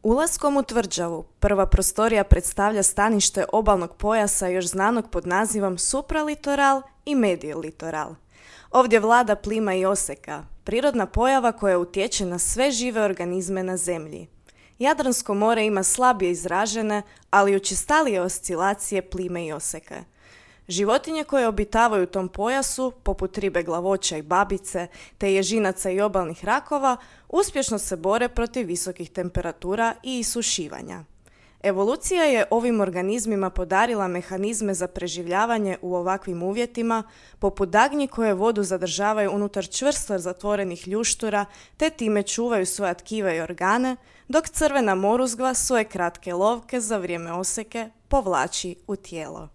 Ulaskom u tvrđavu, prva prostorija predstavlja stanište obalnog pojasa još znanog pod nazivom supralitoral i mediolitoral. Ovdje vlada plima i oseka, prirodna pojava koja utječe na sve žive organizme na zemlji. Jadransko more ima slabije izražene, ali učestalije oscilacije plime i oseke. Životinje koje obitavaju u tom pojasu, poput ribe glavoća i babice, te ježinaca i obalnih rakova, uspješno se bore protiv visokih temperatura i isušivanja. Evolucija je ovim organizmima podarila mehanizme za preživljavanje u ovakvim uvjetima, poput dagnji koje vodu zadržavaju unutar čvrsto zatvorenih ljuštura, te time čuvaju svoja tkiva i organe, dok crvena moruzgva svoje kratke lovke za vrijeme oseke povlači u tijelo.